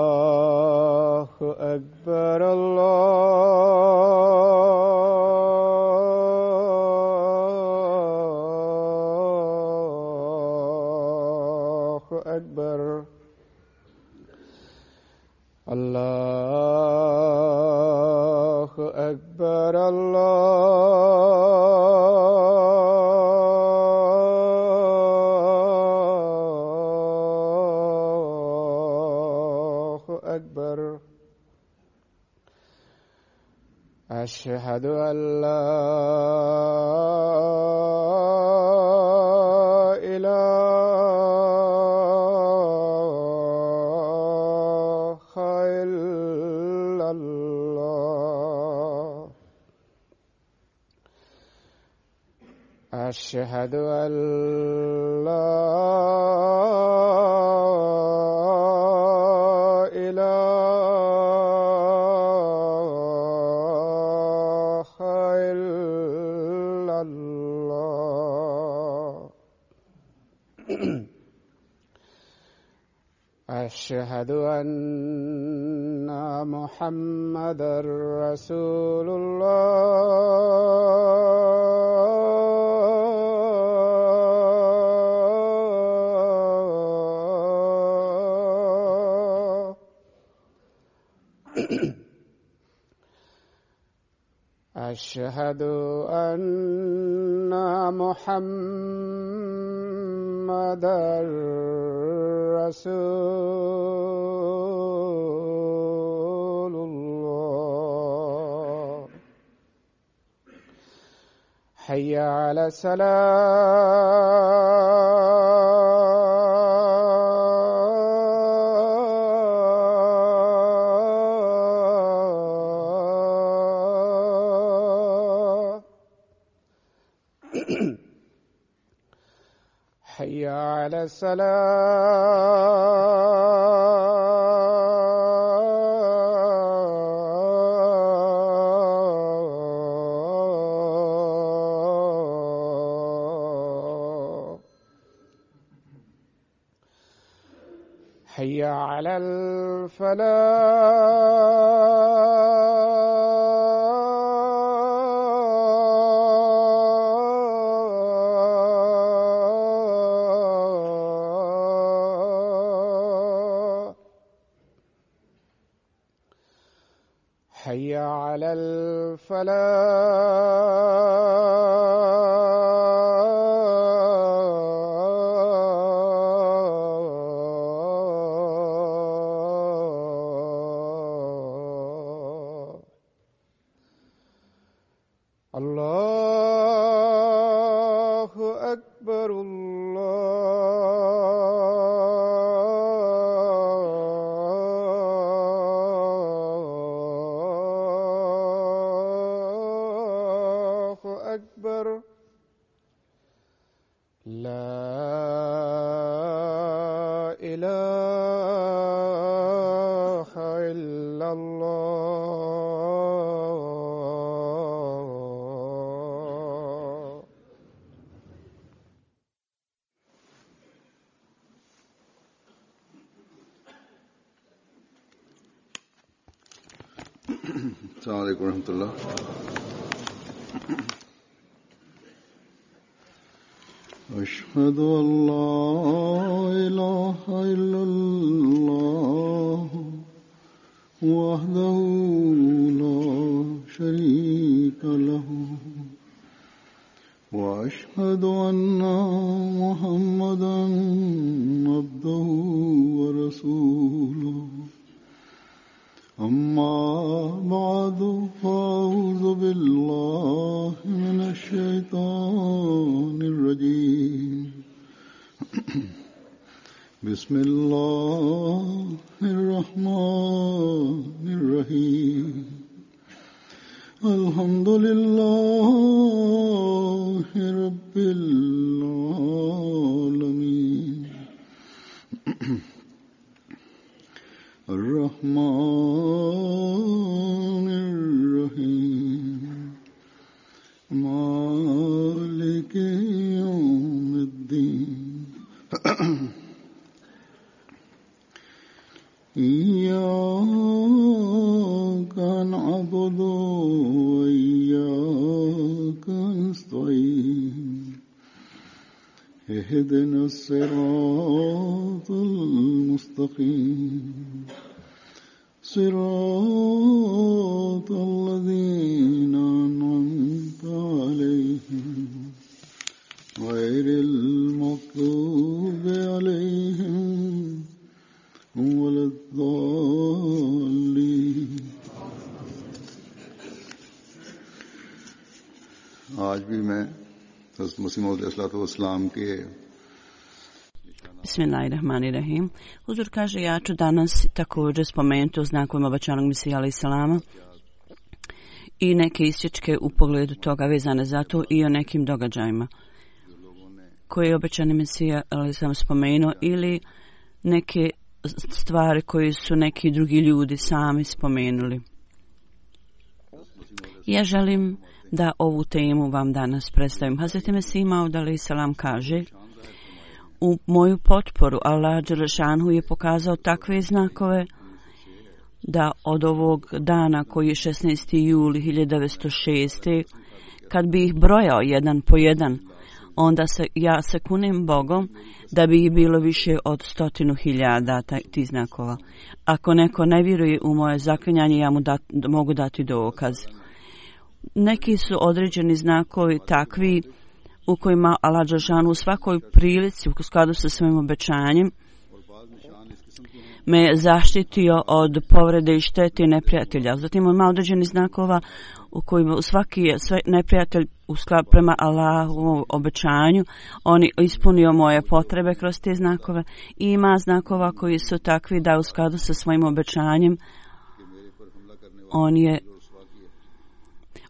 الله أكبر الله أكبر الله أكبر الله أكبر أشهد أن لا إله إلا الله أشهد أن لا إله إلا الله أشهد أن محمدًا رسول الله أشهد أن محمدًا رسول الله حي على الصلاة حي على الصلاة حي على الفلاح حي على الفلاح الله أكبر الله أكبر لا إله إلا الله السلام عليكم ورحمة الله. أشهد أن لا إله إلا الله وحده لا شريك له وأشهد أن محمدًا عبده ورسوله أما بعد فأعوذ بالله من الشيطان الرجيم بسم الله الرحمن الرحيم الحمد لله رب العالمين الرحمن الرحيم مالك يوم وإياك نستعين اهدنا الصراط المستقيم صراط الذين أنعمت عليهم غير المغضوب عليهم ولا الضالين. आज भी मैं हज़रत मसीह मौऊद अलैहिस्सलाम के Bismillahirrahmanirrahim. Huzur kaže, ja ću danas također spomenuti o znakovima obećanog Mesija alejselama i neke isječke u pogledu toga vezane za to i o nekim događajima koje je obećani Mesija alejselam spomenuo ili neke stvari koje su neki drugi ljudi sami spomenuli. Ja želim da ovu temu vam danas predstavim. Hazreti Mesih Maud alejselam kaže: u moju potporu Allah dželešanu je pokazao takve znakove da od ovog dana koji je 16. juli 1906. kad bi ih brojao jedan po jedan, onda ja se kunem Bogom da bi ih bilo više od 100.000 tih znakova. Ako neko ne vjeruje u moje zaklinjanje, ja mu mogu dati dokaz. Neki su određeni znakovi takvi u kojima Allah dželešanu u svakoj prilici u skladu sa svojim obećanjem me zaštitio od povrede i štete neprijatelja. Zatim ima određeni znakova u kojima svaki neprijatelj u skladu prema Allahovom obećanju on ispunio moje potrebe kroz te znakove. I ima znakova koji su takvi da u skladu sa svojim obećanjem on je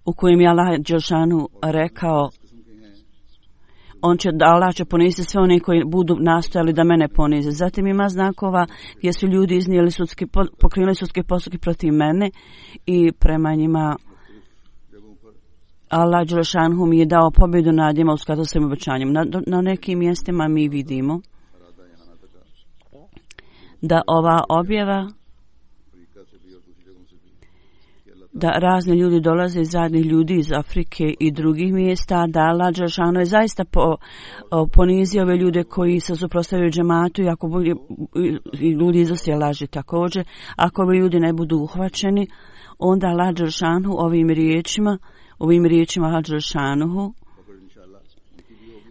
u kojim je Allah dželešanu rekao Allah će poniziti sve one koji budu nastojali da mene ponize. Zatim ima znakova gdje su ljudi iznijeli pokrenuli sudske postupke protiv mene i prema njima Allah dželešanu mi je dao pobjedu nad njima u skladu sa svojim obećanjem. Na nekim mjestima mi vidimo da ova objava da razni ljudi dolaze iz zadnjih ljudi iz Afrike i drugih mjesta, da Allah dželešanu je zaista ponizio ove ljude koji se suprotstavljaju džematu i ako i ljudi iznose laži također. Ako ovi ljudi ne budu uhvaćeni, onda Allah dželešanu ovim riječima Allah dželešanu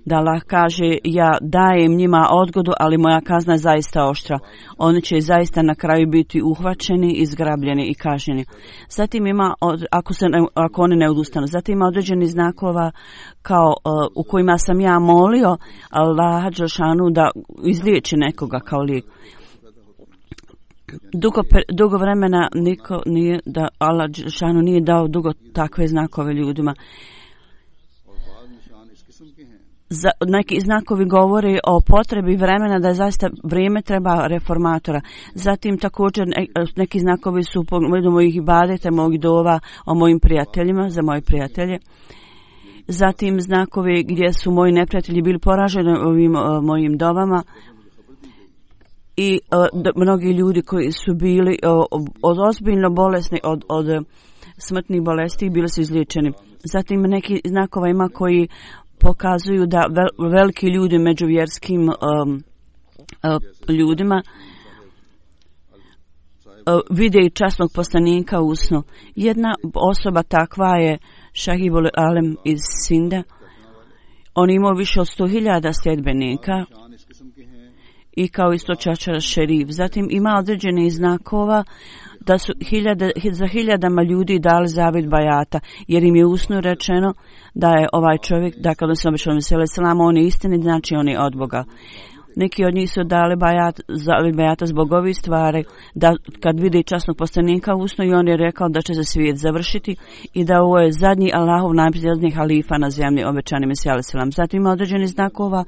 da Allah kaže: ja dajem njima odgodu, ali moja kazna je zaista oštra. Oni će zaista na kraju biti uhvaćeni, izgrabljeni i kažnjeni. Zatim ima, ako oni ne odustanu, zatim ima određeni znakova kao u kojima sam ja molio Allah dželešanu da izliječi nekoga kao lijek. Dugo vremena niko nije, da Allah dželešanu nije dao dugo takve znakove ljudima. Neki znakovi govore o potrebi vremena, da je zaista vrijeme treba reformatora. Zatim također neki znakovi su u pogledu mojih ibadeta, mojih dova o mojim prijateljima, za moje prijatelje. Zatim znakovi gdje su moji neprijatelji bili poraženi ovim mojim dovama i mnogi ljudi koji su bili od ozbiljno bolesni, od smrtnih bolesti bili su izliječeni. Zatim neki znakova ima koji pokazuju da veliki ljudi među vjerskim ljudima vide i časnog poslanika u snu. Jedna osoba takva je Šahibul Alem iz Sinda. On imao više od 100.000 sljedbenika i kao isto Čačar Šerif. Zatim ima određenih znakova da su za hiljadama ljudi dali zavjet bajata, jer im je usnu rečeno da je ovaj čovjek, da kad se obećao Mesija alejselam, on je istini, znači on je od Boga. Neki od njih su dali bajata zbog ovih stvari, da kad vide časnog poslanika usnu, i on je rekao da će se svijet završiti i da ovo je zadnji Allahov najposljednji halifa na zemlji, obećani Mesija alejselam. Zatim ima određeni znakova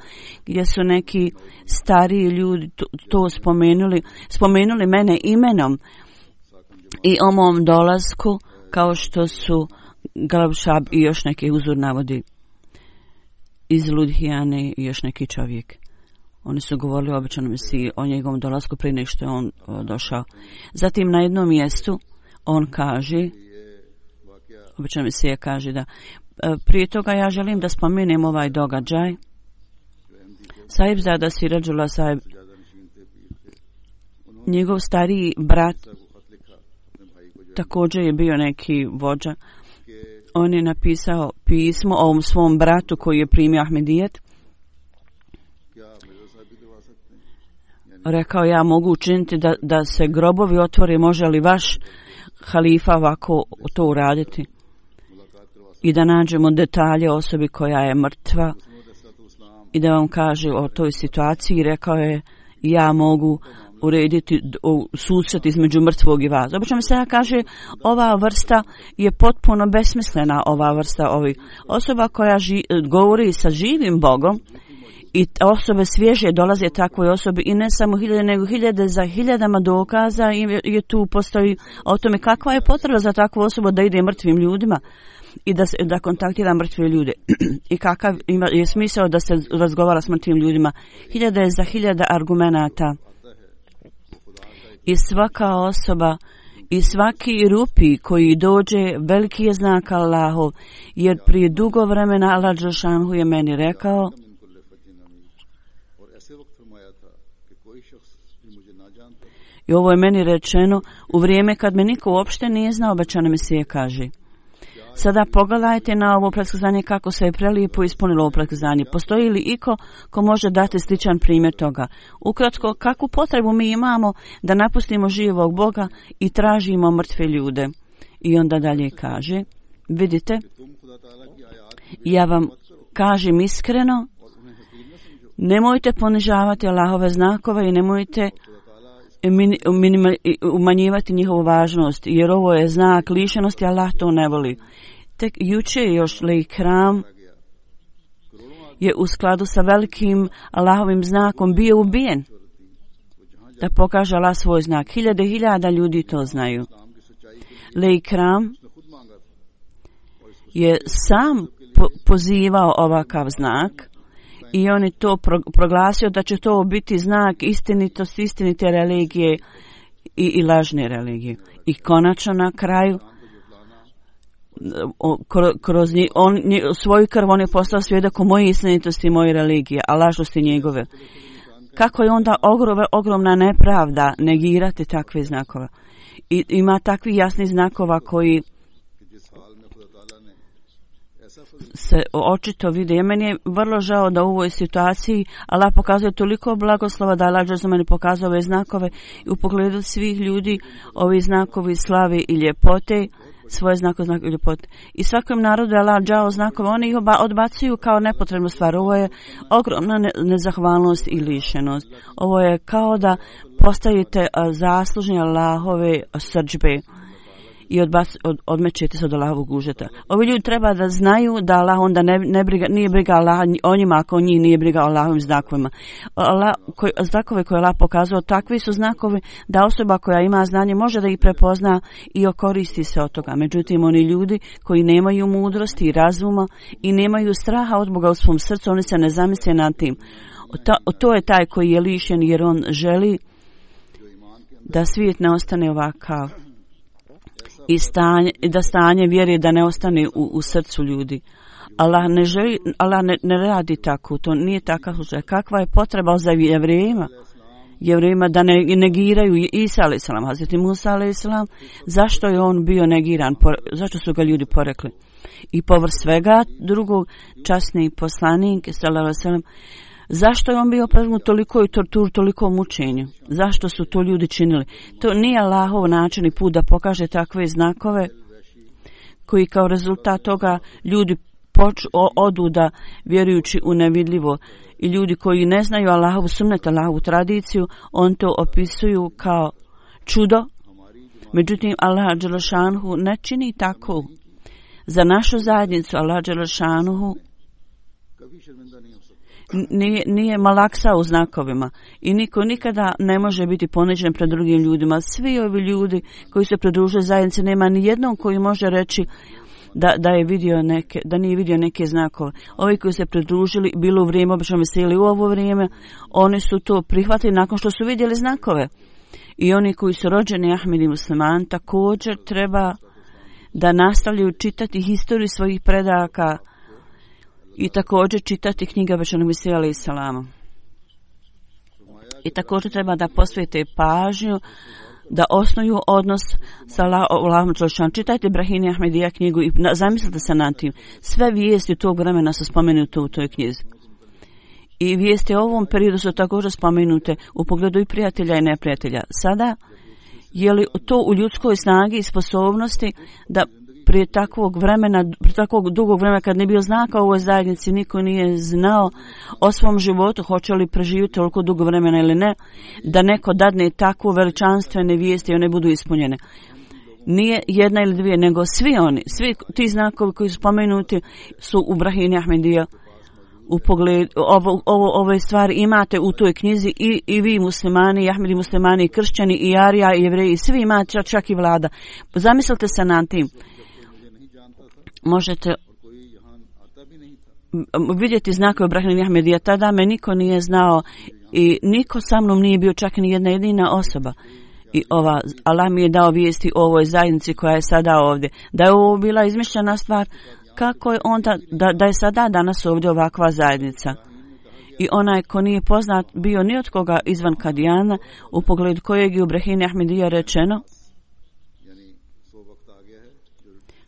gdje su neki stariji ljudi to spomenuli mene imenom i o mom dolasku, kao što su Galabšab i još neki uzor navodi iz Ludhijane i još neki čovjek. Oni su govorili o obećanom Mesiji, o njegovom dolasku prije nego što je on došao. Zatim na jednom mjestu on kaže Obično mi se kaže da prije toga ja želim da spomenem ovaj događaj. Sahibzada Sirađula Sahib, njegov stariji brat također je bio neki vođa. On je napisao pismo ovom svom bratu koji je primio Ahmedijet. Rekao, ja mogu učiniti da se grobovi otvore, može li vaš halifa ovako to uraditi? I da nađemo detalje osobi koja je mrtva i da vam kaže o toj situaciji. Rekao je, ja mogu urediti susret između mrtvog i vas. Obično mi se kaže, ova vrsta je potpuno besmislena, ova vrsta ovih osoba koja govori sa živim Bogom i osobe svježe dolaze takvoj osobi i ne samo hiljade, nego hiljade za hiljadama dokaza i tu postoji o tome kakva je potreba za takvu osobu da ide mrtvim ljudima i da kontaktira mrtve ljude i kakav je smisao da se razgovara s mrtvim ljudima. Hiljade za hiljada argumenata i svaka osoba i svaki rupi koji dođe veliki je znak Allahov, jer prije dugo vremena Allah Đelšanhu je meni rekao i ovo je meni rečeno u vrijeme kad me niko uopšte nije znao, obećani Mesija kaže. Sada pogledajte na ovo predskazanje kako se je prelijepo ispunilo ovo predskazanje. Postoji li iko ko može dati sličan primjer toga? Ukratko, kakvu potrebu mi imamo da napustimo živog Boga i tražimo mrtve ljude? I onda dalje kaže, vidite, ja vam kažem iskreno, nemojte ponižavati Allahove znakove i nemojte umanjivati njihovu važnost, jer ovo je znak lišenosti, Allah to ne voli. Tek juče još Leikram je u skladu sa velikim Allahovim znakom bio ubijen da pokaže Allah svoj znak. Hiljada ljudi to znaju. Leikram je sam pozivao ovakav znak i on je to proglasio da će to biti znak istinitosti, istinite religije i lažne religije. I konačno na kraju kroz svoju krv on je postao svjedok o moje istinitosti i moje religije, a lažnosti njegove. Kako je onda ogromna nepravda negirati takve znakove. I ima takvi jasni znakova koji se očito vide. Meni je vrlo žao da u ovoj situaciji Allah pokazuje toliko blagoslova da Allah za meni pokazuje ove znakove i u pogledu svih ljudi ovi znakovi slave i ljepote, svoje znakove i ljepote. I svakom narodu je Allah dao znakove, oni ih odbacuju kao nepotrebnu stvar. Ovo je ogromna nezahvalnost i lišenost. Ovo je kao da postajete zaslužni Allahove srdžbe i odmećete se od Allahovog užeta. Ovi ljudi treba da znaju da Allah onda nije briga Allah o njima ako njih nije briga o Allahovim znakovima. Znakove koje Allah pokazao, takvi su znakovi da osoba koja ima znanje može da ih prepozna i okoristi se od toga. Međutim, oni ljudi koji nemaju mudrosti i razuma i nemaju straha od Boga u svom srcu, oni se ne zamisle nad tim. To je taj koji je lišen jer on želi da svijet ne ostane ovakav. I da stanje vjere da ne ostane u srcu ljudi. Allah ne želi, Allah ne radi tako, to nije takav slučaj. Kakva je potreba za jevrejima da ne negiraju Isa a.s. Hazreti Musa a.s. Zašto je on bio negiran? Zašto su ga ljudi porekli? I povrh svega drugog časni poslanik s.a.v. Zašto je on bio podvrgnut toliko i torturu, toliko mučenju? Zašto su to ljudi činili? To nije Allahov način i put da pokaže takve znakove koji kao rezultat toga ljudi odu da vjerujući u nevidljivo i ljudi koji ne znaju Allahovu sunnet, Allahovu tradiciju, on to opisuju kao čudo. Međutim, Allah Đelešanuhu ne čini tako. Za našu zajednicu Allah Đelešanuhu nije malaksa u znakovima i niko nikada ne može biti ponižen pred drugim ljudima. Svi ovi ljudi koji se pridružuju zajednici, nema ni jednom koji može reći da nije vidio neke znakove. Ovi koji se pridružili, bilo u vrijeme obično veseli u ovo vrijeme, oni su to prihvatili nakon što su vidjeli znakove. I oni koji su rođeni Ahmedi musliman također treba da nastavljaju čitati historiju svojih predaka i također čitati knjige obećanog Mesija alejhi selama. I također treba da posvete pažnju da osnuju odnos sa Allahom dželešanu. Čitajte Brahini Ahmedija knjigu i zamislite se nad tim. Sve vijesti tog vremena su spomenute u toj knjizi. I vijesti o ovom periodu su također spomenute u pogledu i prijatelja i neprijatelja. Sada, je li to u ljudskoj snagi i sposobnosti da prije takvog dugog vremena kad ne bio znaka u ovoj zajednici, niko nije znao o svom životu, hoće li preživjeti toliko dugo vremena ili ne, da neko dadne takvu veličanstvene vijesti i one budu ispunjene. Nije jedna ili dvije, nego svi ti znakovi koji su spomenuti su u Brahini Ahmedija. U pogledu ove stvari imate u toj knjizi i vi muslimani, i Ahmedi muslimani, i kršćani, i Arija, i jevreji, svi imate, čak i vlada. Zamislite se nad tim. Možete vidjeti znakove Brahini Ahmedija. Tada me niko nije znao i niko sa mnom nije bio, čak ni jedna jedina osoba. I Allah mi je dao vijesti o ovoj zajednici koja je sada ovdje. Da je ovo bila izmišljena stvar, kako je onda da je sada danas ovdje ovakva zajednica. I onaj ko nije poznat bio ni od koga izvan Kadijana, u pogledu kojeg je u Brahini Ahmedija rečeno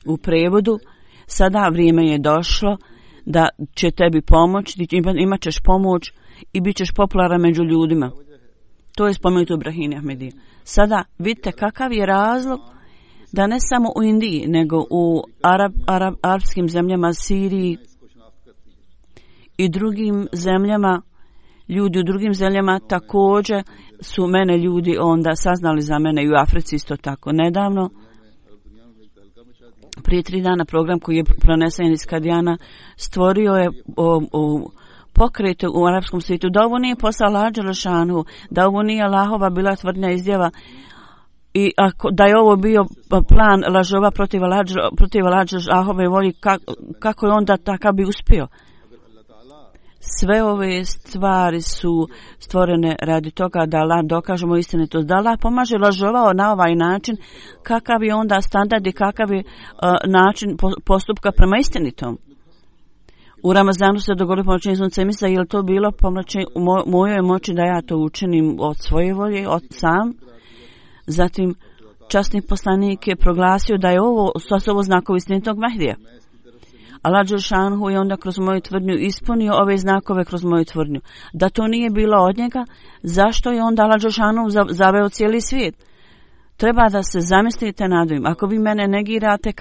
u prevodu, sada vrijeme je došlo da će tebi pomoći, imat ćeš pomoć i bit ćeš popularan među ljudima. To je spomenuto u Brahini Ahmedija. Sada vidite kakav je razlog da ne samo u Indiji, nego u arapskim zemljama, Siriji i drugim zemljama, ljudi u drugim zemljama također su mene ljudi onda saznali za mene, i u Africi isto tako. Nedavno, prije 3 dana, program koji je pronesen iz Kadijana stvorio je pokrete u arapskom svijetu, da ovo nije posao Allah dželešanu, da ovo nije Allahova bila tvrdnja izjava, i da je ovo bio plan lažova protiv Allahove volje, kako je onda takav bi uspio. Sve ove stvari su stvorene radi toga da Allah dokažemo istinitost, da Allah pomaže lažovao na ovaj način, kakav je onda standard i kakav je način postupka prema istinitom. U Ramazanu se dogodilo pomračenje sunca i misle, je li to bilo pomračenje u mojoj moći da ja to učinim od svoje volje, od sam. Zatim časni poslanik je proglasio da je ovo znakovi istinitog Mehdija. Allah dželešanu je onda kroz moju tvrdnju ispunio ove znakove kroz moju tvrdnju. Da to nije bilo od njega, zašto je onda Allah dželešanu zaveo cijeli svijet? Treba da se zamislite nad ovim. Ako vi mene negirate,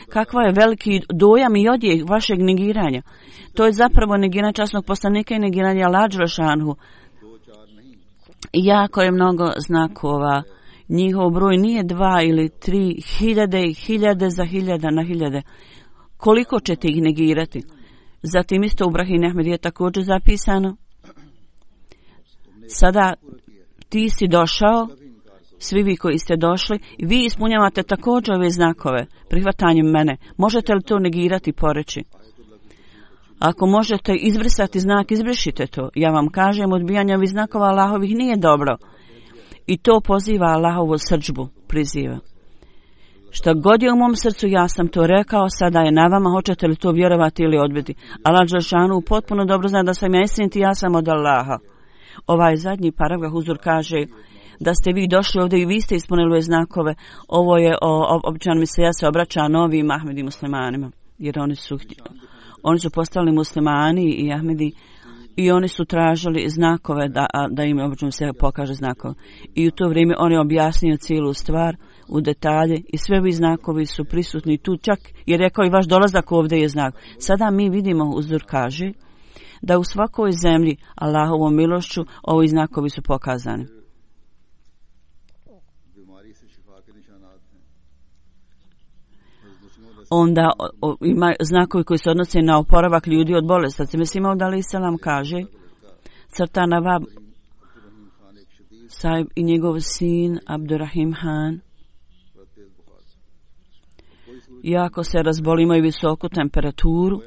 kakva je veliki dojam i odjek vašeg negiranja. To je zapravo negiranje časnog poslanika i negiranje Allah dželešanu. Jako je mnogo znakova. Njihov broj nije 2 ili 3, hiljade za hiljada na hiljade. Koliko ćete ih negirati? Zatim isto u Brahini Ahmedija je također zapisano. Sada ti si došao, svi vi koji ste došli, vi ispunjavate također ove znakove prihvatanjem mene. Možete li to negirati, poreći? Ako možete izbrisati znak, izbrišite to. Ja vam kažem, odbijanje ovih znakova Allahovih nije dobro. I to poziva Allahovu srdžbu, priziva. Šta god je u mom srcu, ja sam to rekao, sada je na vama, hoćete li to vjerovati ili odbiti. Allah dželešanu potpuno dobro zna da sam ja istinit i ja sam od Allaha. Ovaj zadnji paragraf Huzur kaže da ste vi došli ovdje i vi ste ispunili ove znakove. Ovo je običan Mesija se obraća novim Ahmedi muslimanima, jer oni su postali muslimani i Ahmedi i oni su tražili znakove da im obično se pokaže znakove. I u to vrijeme on je objasnio cijelu stvar u detalje i sve ovi znakovi su prisutni tu, čak je rekao i vaš dolazak ovdje je znak. Sada mi vidimo, Uzdur kaže, da u svakoj zemlji Allahovom milošću ovi znakovi su pokazani. Onda ima znakovi koji se odnose na oporavak ljudi od bolesti. Sad Mesih Maud alejhi selam kaže, crta Nawab Sahib i njegov sin Abdurrahim Han jako se razboli, imaju visoku temperaturu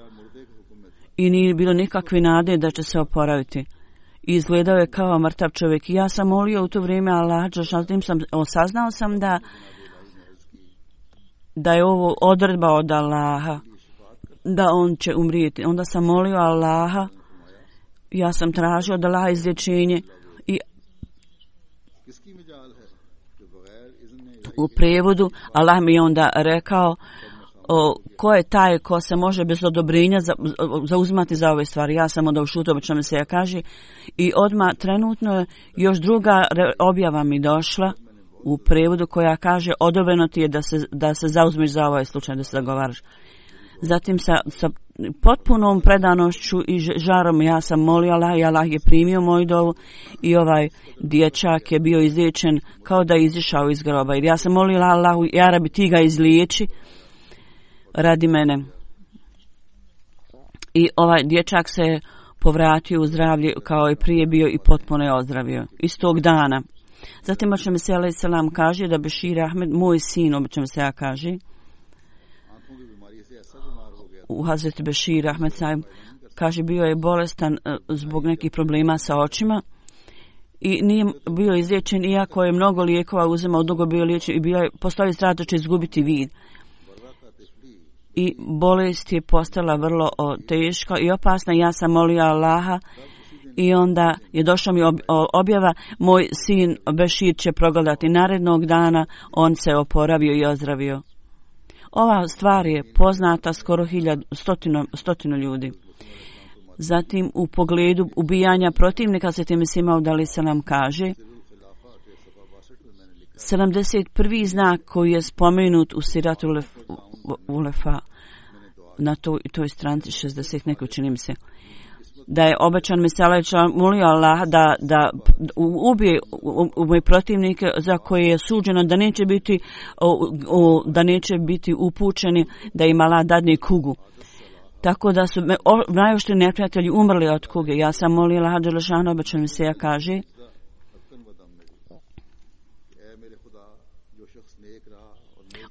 i nije bilo nikakve nade da će se oporaviti. Izgledao je kao mrtav čovjek. I ja sam molio u to vrijeme Allah, saznao sam da je ovo odredba od Allaha, da on će umrijeti. Onda sam molio Allaha, ja sam tražio od Allaha izlječenje i u prijevodu Allah mi je onda rekao ko je taj ko se može bez odobrenja zauzimati za ove stvari. Ja sam onda ušutio, obično mi se ja kaže, i odmah trenutno još druga objava mi došla u prijevodu koja kaže odobreno ti je da se zauzmeš za ovaj slučaj, da se zagovaraš. Zatim sa potpunom predanošću i žarom ja sam molio Allah i Allah je primio moju dovu i ovaj dječak je bio izliječen kao da je izišao iz groba. Jer ja sam molila Allahu, ja Rabi, ti ga izliječi radi mene. I ovaj dječak se povratio u zdravlje kao i prije bio i potpuno je ozdravio iz tog dana. Zatim Ašem se alaih salam kaže da Bešir Ahmed, moj sin, obično se ja kaže, u Hazreti Bešir Ahmed sahib, kaže bio je bolestan zbog nekih problema sa očima i nije bio izliječen, iako je mnogo lijekova uzimao, dugo bio liječen i postoji strah da će izgubiti vid. I bolest je postala vrlo teška i opasna. Ja sam molio Allaha i onda je došla mi objava, moj sin Bešir će progledati narednog dana, on se oporavio i ozdravio. Ova stvar je poznata skoro stotinu ljudi. Zatim u pogledu ubijanja protivnika se time Sima udali se nam kaže 71. znak koji je spomenut u Siratu Ulefa na toj stranci 60 neko čini mi se da je obećan Mesija molio Allah da ubije moje protivnike za koje je suđeno da neće biti upućeni, da im Allah dadne kugu. Tako da su najoštri neprijatelji umrli od kuge. Ja sam molila Allah dželešanu, obećan Mesija kaže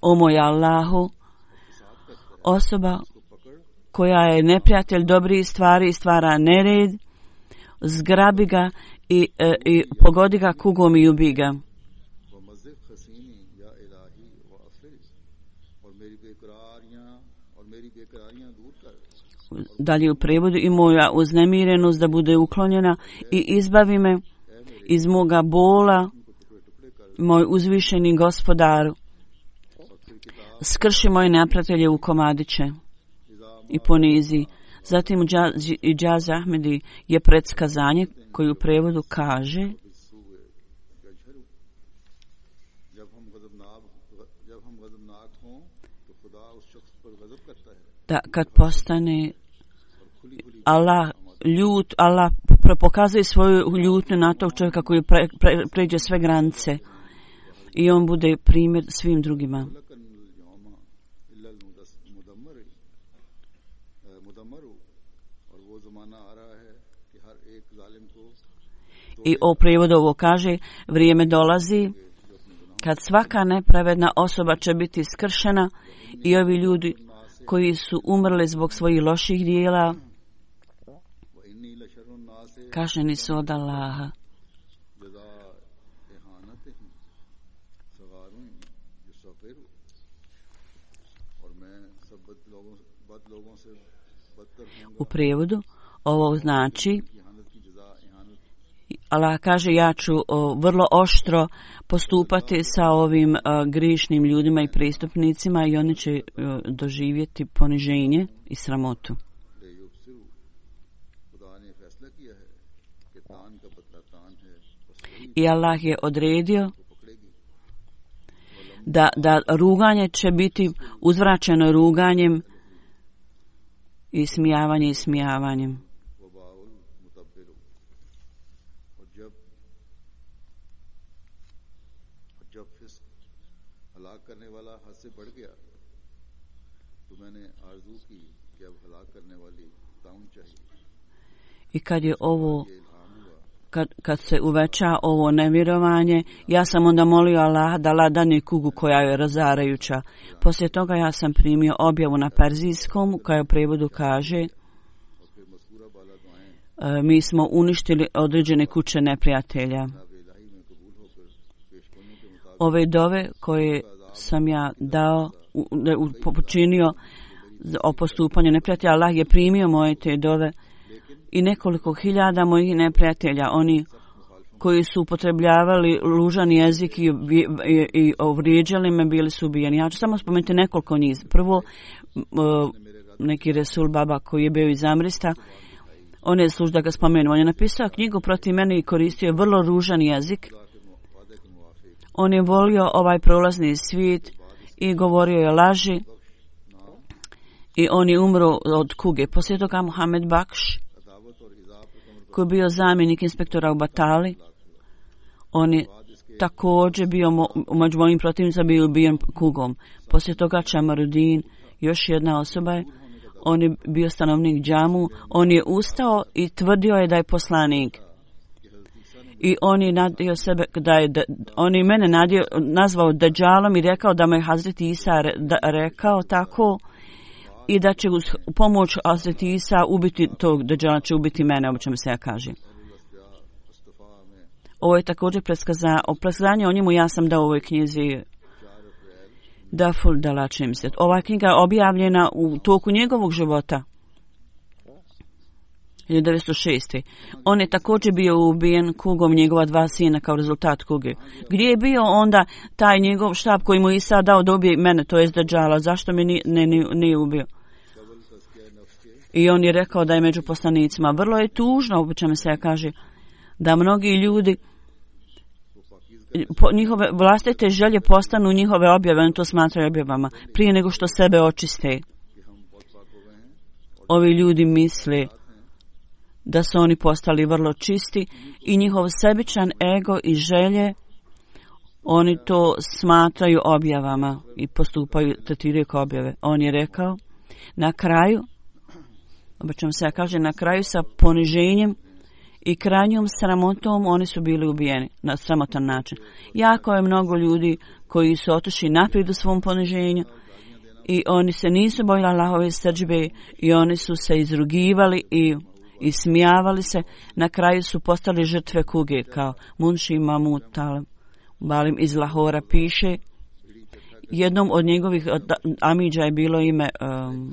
o moj Allahu, osoba koja je neprijatelj dobrih stvari i stvara nered, zgrabi ga i pogodi ga kugom i ubi ga. Dalje u prevodu i moja uznemirenost da bude uklonjena i izbavi me iz moga bola, moj uzvišeni gospodaru. Skrši moje neprijatelje u komadiće i ponizi. Zatim u Džaz Ahmedi je predskazanje koji u prevodu kaže da kad postane Allah ljut, Allah pokazuje svoju ljutnju na tog čovjeka koji pređe sve granice i on bude primjer svim drugima. I o prijevodu ovo kaže, vrijeme dolazi kad svaka nepravedna osoba će biti skršena i ovi ljudi koji su umrli zbog svojih loših dijela kažnjeni su od Allaha. U prijevodu ovo znači Allah kaže ja ću vrlo oštro postupati sa ovim grišnim ljudima i prestupnicima i oni će doživjeti poniženje i sramotu. I Allah je odredio da ruganje će biti uzvraćeno ruganjem i smijavanjem. I kad je ovo, kad se uveća ovo nevjerovanje, ja sam onda molio Allah da Allah dane kugu koja je razarajuća. Poslije toga ja sam primio objavu na perzijskom koja u prevodu kaže mi smo uništili određene kuće neprijatelja. Ove dove koje sam ja dao da je počinio o postupanju neprijatelja. Allah je primio moje te dove i nekoliko hiljada mojih neprijatelja, oni koji su upotrebljavali ružan jezik i vrijeđali me, bili su ubijeni. Ja ću samo spomenuti nekoliko njih. Prvo, neki Resul Baba koji je bio iz Amrista, on je služ da ga spomenu. On je napisao knjigu protiv mene i koristio vrlo ružan jezik. On je volio ovaj prolazni svijet i govorio je laži i on je umro od kuge. Poslije toga Mohamed Bakš, koji je bio zamjenik inspektora u Batali, on je također bio među mojim protivnicama, bio ubijen kugom. Poslije toga Čamarudin, još jedna osoba je, on je bio stanovnik džamu, on je ustao i tvrdio je da je poslanik. I on je nadio sebe, on je mene nazvao Dajjalom i rekao da me je Hazreti Isa rekao tako i da će uz pomoć Hazreti Isa ubiti tog Dajjala, će ubiti mene, o čemu se ja kaže. Ovo je također predskazanje o njemu, ja sam dao u ovoj knjizi Daful Dalačim se. Ova knjiga je objavljena u toku njegovog života. 1906. On je također bio ubijen kugom njegova 2 sina kao rezultat kuge. Gdje je bio onda taj njegov štab koji mu Isa dao da ubije mene, to je Dajjala? Zašto mi nije ubio? I on je rekao da je među poslanicima. Vrlo je tužno, u čemu se ja kaže, da mnogi ljudi njihove vlastite želje postanu njihove objave, oni to smatraju objavama, prije nego što sebe očiste. Ovi ljudi misle da su oni postali vrlo čisti i njihov sebičan ego i želje, oni to smatraju objavama i postupaju, tretiraju kao objave. On je rekao, na kraju, obično se ja kaže, na kraju sa poniženjem i krajnjom sramotom oni su bili ubijeni na sramotan način. Jako je mnogo ljudi koji su otišli naprijed u svom poniženju i oni se nisu bojili Allahove srdžbe i oni su se izrugivali i smijavali se. Na kraju su postali žrtve kuge, kao Munši Mahmud Balim iz Lahora piše. Jednom od njegovih amidža je bilo ime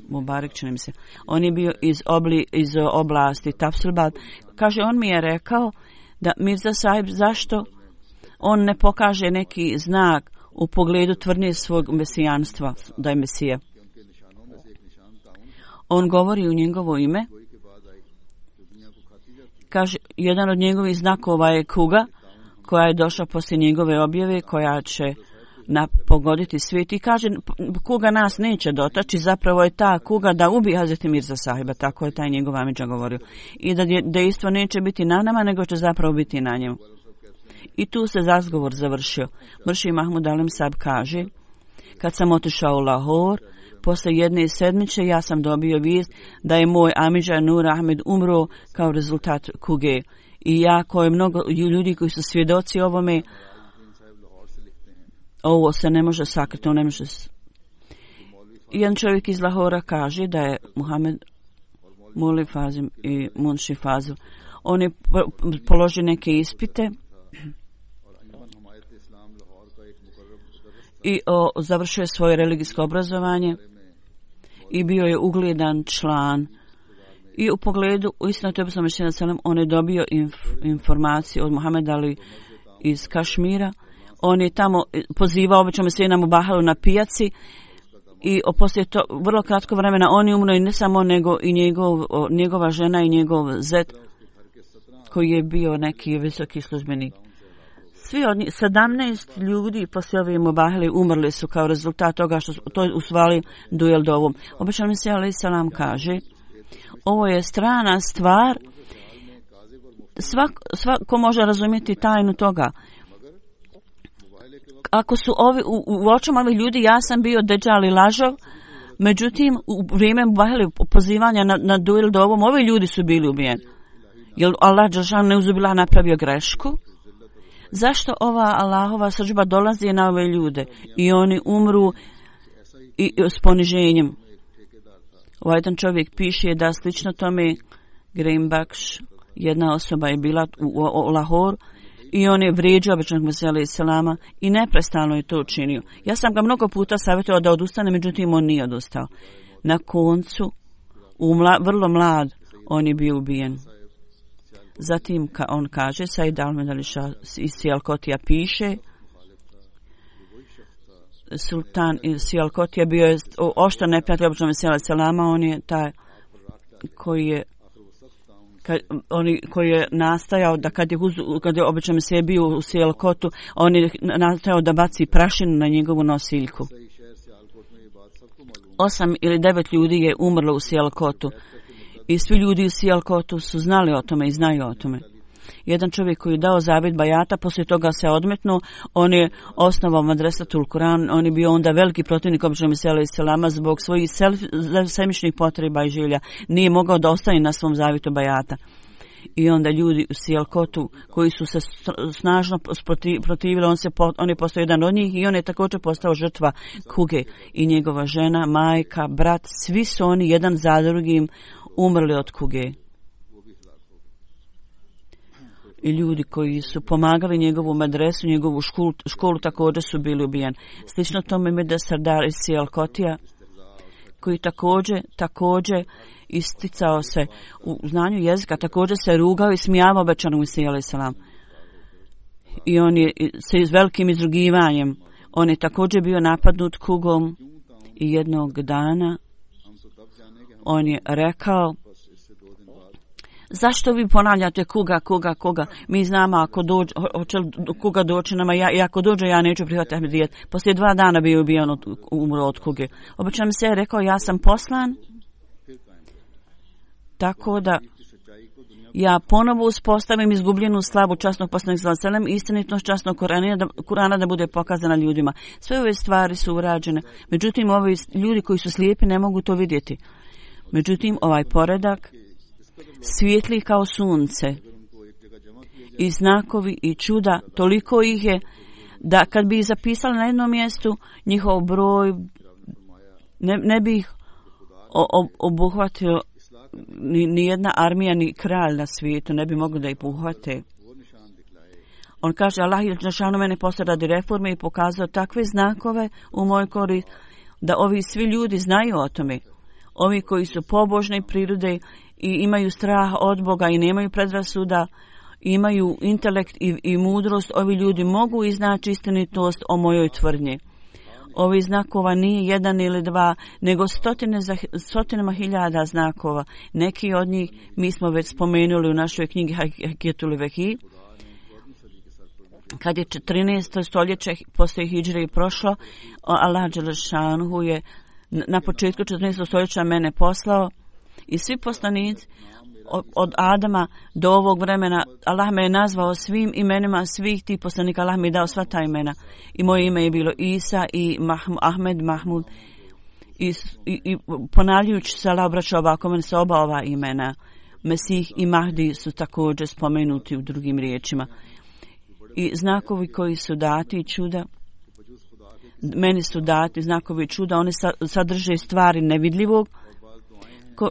Mubarak, čini mi se. On je bio iz oblasti Tafsilbad. Kaže, on mi je rekao da Mirza Sahib, zašto on ne pokaže neki znak u pogledu tvrdnje svog mesijanstva, da je Mesija. On govori u njegovo ime. Kaže, jedan od njegovih znakova je kuga koja je došla poslije njegove objave, koja će pogoditi svijet i kaže, kuga nas neće dotaći, zapravo je ta kuga da ubije Hazreti Mirza Sahiba, tako je taj njegov amidža govorio. I da dejstvo neće biti na nama, nego će zapravo biti na njemu. I tu se razgovor završio. Murši Mahmud Alim Sahib kaže, kad sam otišao u Lahor, posle jedne sedmice ja sam dobio vijest da je moj amidža Nur Ahmed umro kao rezultat kuge. I jako je mnogo ljudi koji su svjedoci ovome. Ovo se ne može sakriti, ne može. Jedan čovjek iz Lahora kaže da je Muhammed Muli Fazim i Munši Fazil. On je položio neke ispite i završio je svoje religijsko obrazovanje i bio je ugledan član. I u pogledu, istina to je poslanik sallallahu alejhi ve sellem, on je dobio informaciju od Muhameda Ali iz Kašmira. On je tamo pozivao obično sve na Mubahalu na pijaci i poslije to vrlo kratko vremena on je umro i ne samo nego i njegova žena i njegov zet koji je bio neki visoki službenik. Svi od njih, 17 ljudi poslije ove Mubahale umrli su kao rezultat toga što to je usvali duel dovom. Obično mi se alejhi selam kaže, ovo je strana stvar, svako može razumjeti tajnu toga. Ako su u očima ovih ljudi, ja sam bio Dejjal i lažov, međutim, u vrijeme pozivanja na duel dovom, ovi ljudi su bili ubijeni. Jer Allah dželešan neuzubillah napravio grešku? Zašto ova Allahova srdžba dolazi na ove ljude i oni umru i s poniženjem? Ovaj jedan čovjek piše da slično tome Graham Baksh, jedna osoba je bila u Lahoru I on je vrijeđao običnog Mesija alejhi selama i neprestano je to učinio. Ja sam ga mnogo puta savjetovao da odustane, međutim on nije odustao. Na koncu, vrlo mlad, on je bio ubijen. Zatim on kaže, Said Ahmed Ali Shah iz Sijalkotija piše, sultan iz Sijalkotija bio je oštro neprijatelj običnog Mesija alejhi selama, on je taj koji je nastajao da kad je obično Mesija bio u Sijalkotu, on je nastajao da baci prašinu na njegovu nosiljku. 8 ili 9 ljudi je umrlo u Sijalkotu i svi ljudi u Sijalkotu su znali o tome i znaju o tome. Jedan čovjek koji je dao zavjet bajata, poslije toga se odmetnuo, on je osnovao Madrasatul Kur'an, on je bio onda veliki protivnik običnog Mesija alejhi selama zbog svojih sebičnih potreba i želja. Nije mogao da ostane na svom zavjetu bajata. I onda ljudi u Sijalkotu koji su se snažno protivili, on je postao jedan od njih i on je također postao žrtva kuge. I njegova žena, majka, brat, svi su oni jedan za drugim umrli od kuge. I ljudi koji su pomagali njegovu medresu, njegovu školu također su bili ubijeni. Slično tome Mirza Sardar iz Sijalkotija, koji također isticao se u znanju jezika, također se rugao i smijavao obećanom Mesiju alejhi selam. I on je s velikim izrugivanjem, on je također bio napadnut kugom i jednog dana on je rekao, zašto vi ponavljate kuga? Mi znamo ako dođe, hoće kuga doći nama, i ako dođe ja neću prihvatiti Ahmedijet. Poslije 2 dana bio ubijen umro od kuge. Obično mi se je rekao, ja sam poslan, tako da ja ponovo uspostavim izgubljenu slavu časnog poslanika sallallahu alejhi ve sellem, istinitost časnog Kurana da bude pokazana ljudima. Sve ove stvari su urađene. Međutim, ovi ljudi koji su slijepi ne mogu to vidjeti. Međutim, ovaj poredak svijetli kao sunce i znakovi i čuda, toliko ih je da kad bi ih zapisali na jednom mjestu, njihov broj ne bi ih obuhvatio ni jedna armija ni kralj na svijetu, ne bi mogli da ih uhvate. On kaže, Allah je dželešanu mene poslao radi reforme i pokazao takve znakove u mojoj korist da ovi svi ljudi znaju o tome. Ovi koji su pobožne prirode i imaju strah od Boga i nemaju predrasuda, imaju intelekt i mudrost, ovi ljudi mogu iznaći istinitost o mojoj tvrdnji. Ovi znakova nije 1 ili 2, nego stotinama hiljada znakova. Neki od njih mi smo već spomenuli u našoj knjigi Hakijetul Vehi. Kad je 14. stoljeće poslije hidžre prošlo, Allah dželešanu je na početku 14. stoljeća mene poslao i svi poslanici od Adama do ovog vremena, Allah me je nazvao svim imenima svih tih poslanika, Allah mi je dao sva ta imena. I moje ime je bilo Isa i Ahmed, Mahmud. I ponavljajući se, Allah obraćao ovako, meni se oba ova imena. Mesih i Mahdi su također spomenuti u drugim riječima. I znakovi koji su dati i čuda, meni su dati znakovi čuda, oni sadrže stvari nevidljivog,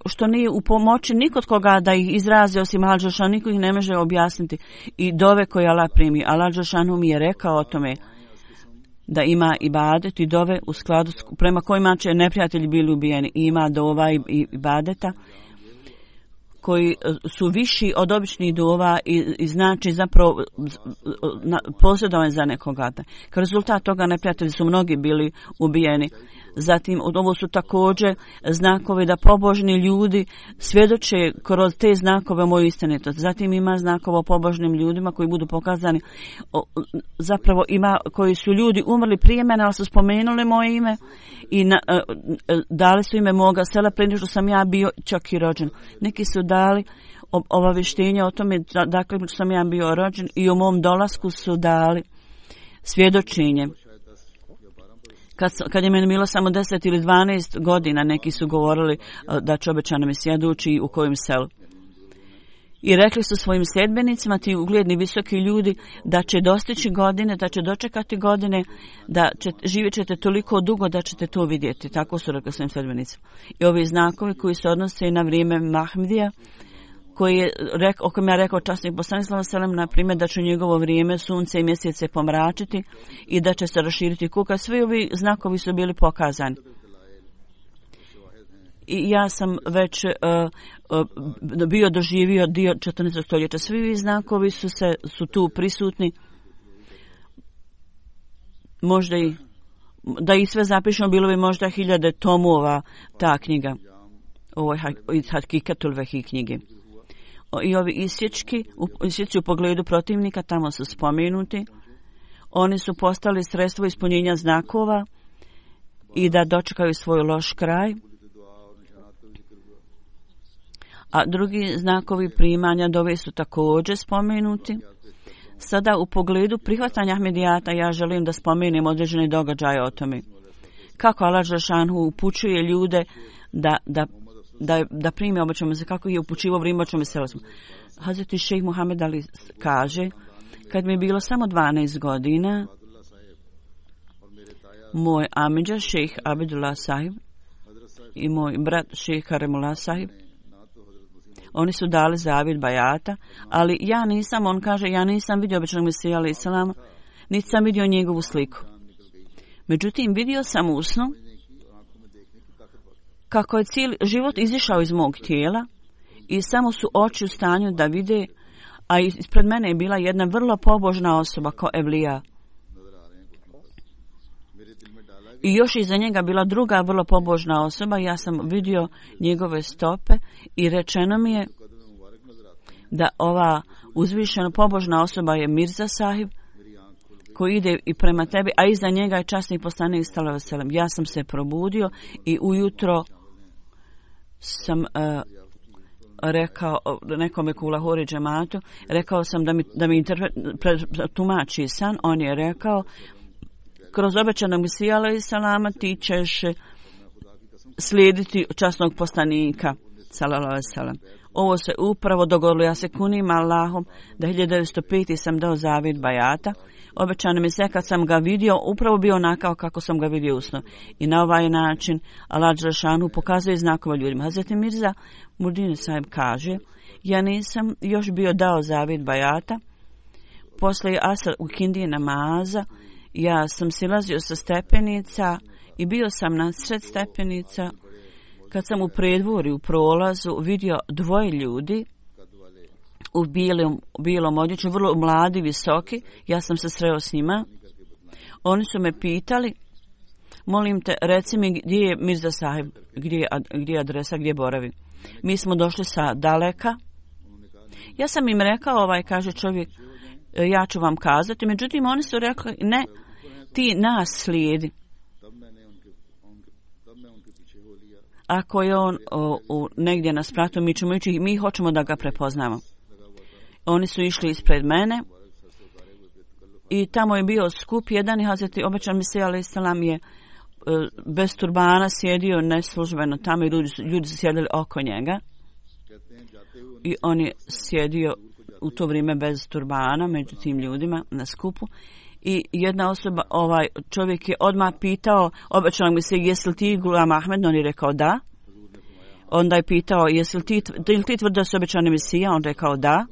što nije u pomoći nikod koga da ih izrazi osim Allah dželešanu, niko ih ne može objasniti. I dove koje Allah primi. Allah dželešanu mi je rekao o tome da ima ibadet i dove u skladu prema kojima će neprijatelji bili ubijeni. I ima dova i ibadeta koji su viši od običnih dova i znači zapravo posjedovanje za nekoga. Kao rezultat toga neprijatelji su mnogi bili ubijeni. Zatim, ovo su također znakovi da pobožni ljudi svjedoče kroz te znakove moju istinitost. Zatim ima znakova o pobožnim ljudima koji budu pokazani. Zapravo ima koji su ljudi umrli prije mene, ali su spomenuli moje ime i dali su ime moga sela prije što sam ja bio čak i rođen. Neki su dali obavještenje o tome dakle što sam ja bio rođen i o mom dolasku su dali svjedočenje. Kad je meni bilo samo 10 ili 12 godina, neki su govorili da će obećana Mesija doći u kojem selu. I rekli su svojim sljedbenicima, ti ugledni visoki ljudi, da će dostići godine, da će dočekati godine, da živjet ćete toliko dugo da ćete to vidjeti. Tako su rekli svojim sljedbenicima. I ovi znakovi koji se odnose na vrijeme Mahmedija, o kojem je rekao časnik poslanik sallallahu alejhi ve sellem, na primjer da će u njegovo vrijeme sunce i mjesec se pomračiti i da će se raširiti kuka. Svi ovi znakovi su bili pokazani. I ja sam već bio doživio dio 14. stoljeća. Svi ovi znakovi su tu prisutni. Možda i da ih sve zapišemo, bilo bi možda 1000 tomova ta knjiga. Ovo je iz Hakikatul Vehi knjige. I ovi isječki u pogledu protivnika tamo su spomenuti. Oni su postali sredstvo ispunjenja znakova i da dočekaju svoj loš kraj. A drugi znakovi primanja dove su također spomenuti. Sada u pogledu prihvatanja Ahmedijata ja želim da spomenem određene događaje o tome. Kako Allah dželešanu upućuje ljude da prime obećanu se, kako je upućivao vrijeme obećanu se. Hazreti šejh Muhammed Ali kaže, kad mi je bilo samo 12 godina, moj amidža šejh Abdullah sahib i moj brat šejh Karimullah sahib, oni su dali zavjet bajata, ali ja nisam vidio obećanog Mesija alejhi selam, niti sam vidio njegovu sliku. Međutim, vidio sam u snu kako je cijeli život izišao iz mog tijela i samo su oči u stanju da vide, a ispred mene je bila jedna vrlo pobožna osoba kao Evlija. I još iza njega bila druga vrlo pobožna osoba. Ja sam vidio njegove stope i rečeno mi je da ova uzvišena pobožna osoba je Mirza sahib koji ide i prema tebi, a iza njega je časni poslanik sallallahu alejhi ve sellem. Ja sam se probudio i ujutro sam rekao nekome u Lahori džematu, rekao sam da mi tumači san. On je rekao, kroz obećanog Mesija alejhi selama ti ćeš slijediti časnog poslanika sallallahu alejhi ve sellem. Ovo se upravo dogodilo. Ja se kunim Allahom da 1905. sam dao zavjet bajata. Obećano mi se kad sam ga vidio, upravo bio onakav kako sam ga vidio usno. I na ovaj način Allah dželešanu pokazuje znakove ljudima. Hazreti Mirza Mudin sahib kaže, ja nisam još bio dao zavjet bajata. Poslije asr u kindije namaza, ja sam silazio sa stepenica i bio sam na sred stepenica. Kad sam u predvorju, u prolazu, vidio dvoje ljudi u bijelom odjeću, vrlo mladi, visoki. Ja sam se sreo s njima. Oni su me pitali, molim te, reci mi gdje je Mirza sahib, gdje je adresa, gdje boravi. Mi smo došli sa daleka. Ja sam im rekao, kaže čovjek, ja ću vam kazati. Međutim, oni su rekli, ne, ti nas slijedi. Ako je on negdje na spratu, mi ćemo ići, mi hoćemo da ga prepoznamo. Oni su išli ispred mene i tamo je bio skup jedan i Hazreti obećan Mesija alejhi selam je bez turbana sjedio neslužbeno tamo i ljudi su sjedili oko njega i on je sjedio u to vrijeme bez turbana među tim ljudima na skupu. I jedna osoba, čovjek je odmah pitao obećanog Mesija, jesi li ti Gulam Ahmed? On je rekao da. Onda je pitao, jesi li ti tvrdio da su obećani Mesija? On rekao da.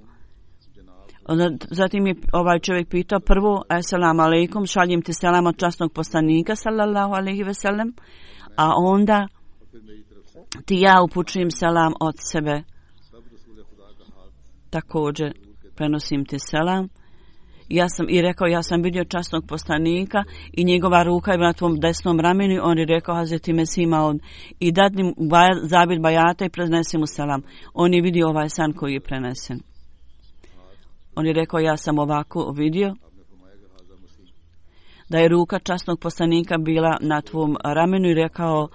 Onda, zatim je čovjek pitao prvo, assalamu alaikum, šaljem ti selam od časnog poslanika sallallahu alejhi ve sellem, a onda ti ja upućujem selam od sebe. Također prenosim ti selam. Ja sam vidio časnog poslanika i njegova ruka je na tvom desnom ramenu. On je rekao, Hazreti Mesima, i dadni zavjet bajata i prenesi mu selam. On je vidio ovaj san koji je prenesen. On je rekao, ja sam ovako vidio da je ruka časnog poslanika bila na tvom ramenu i rekao,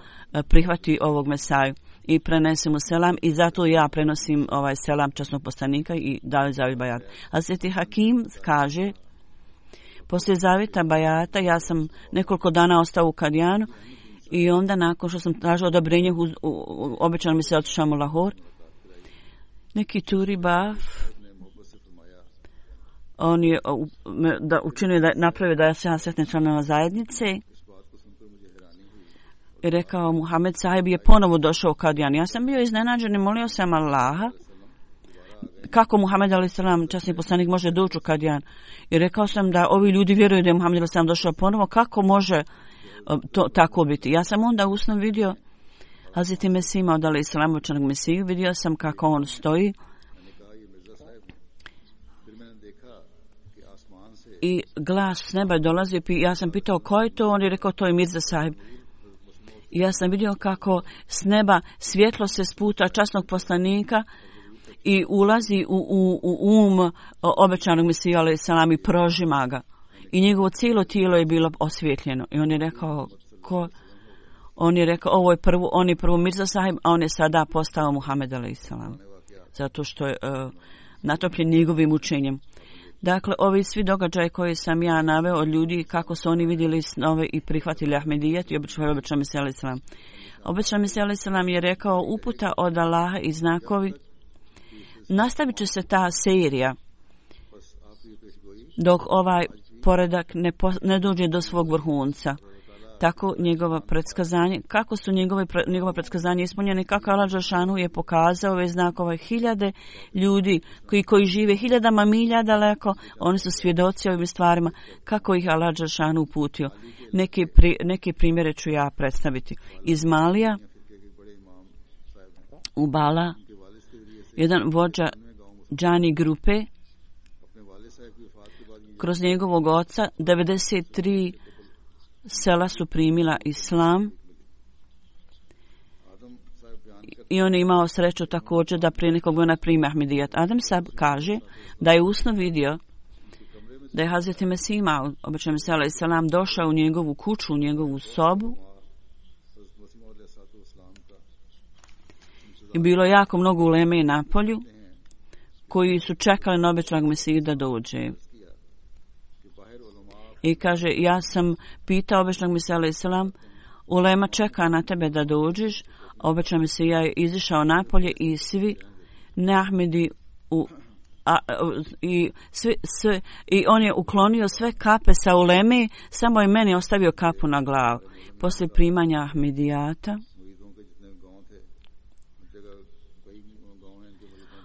prihvati ovog Mesaju i prenesi mu selam, i zato ja prenosim ovaj selam časnog poslanika i dali zavjet bajata. Hazreti Hakim kaže, poslije zavjeta bajata ja sam nekoliko dana ostao u Kadijanu i onda nakon što sam tražio odobrenje obećano mi se otišao u Lahor. Neki Turi Baf, on je učinio da napravio da se ja sretnem članova zajednice i rekao, Muhammed sahib je ponovo došao u Kadijan. Ja sam bio iznenađen i molio sam Allaha kako Muhammed a.s. časni poslanik može doći u Kadijan. I rekao sam da ovi ljudi vjeruju da je Muhammed a.s. došao ponovo, kako može to tako biti. Ja sam onda u snu vidio Hazreti Mesih Maud a.s. učenog Mesiju, vidio sam kako on stoji i glas s neba dolazi. Ja sam pitao ko je to, on je rekao to je Mirza Sahib. I ja sam vidio kako s neba svjetlo se sputa časnog poslanika i ulazi u obećanog Mesiju a.s. i prožima ga. I njegovo cijelo tijelo je bilo osvjetljeno. I on je rekao ko? On je rekao on je prvo Mirza Sahib, a on je sada postao Muhammed a.s. Zato što je natopljen njegovim učenjem. Dakle, ovi svi događaji koje sam ja naveo od ljudi, kako su oni vidjeli snove i prihvatili Ahmedijet i obećao Mesih a.s. Obećao Mesih a.s. je rekao uputa od Allaha i znakovi. Nastavit će se ta serija dok ovaj poredak ne dođe do svog vrhunca. Tako njegova predskazanje, kako su njegova predskazanja ispunjene, kako Allah dželešanu je pokazao ove znakove. Hiljade ljudi koji žive hiljadama milja daleko, oni su svjedoci ovim stvarima, kako ih Allah dželešanu uputio. Neke primjere ću ja predstaviti. Iz Malija u Bala, jedan vođa džani grupe, kroz njegovog oca 93 sela su primila islam i on je imao sreću također da prije nekog vremena primi Ahmedijet. Adam Sahib kaže da je usno vidio da je Hazreti Mesih Maud a.s. došao u njegovu kuću, u njegovu sobu i bilo jako mnogo uleme na polju koji su čekali na obećanog Mesiju da dođe. I kaže, ja sam pitao obećanog Mesija a.s. ulema čeka na tebe da dođeš. Obećanog Mesija je izišao napolje i svi neahmedi i on je uklonio sve kape sa uleme, samo je meni ostavio kapu na glavu. Poslije primanja Ahmedijata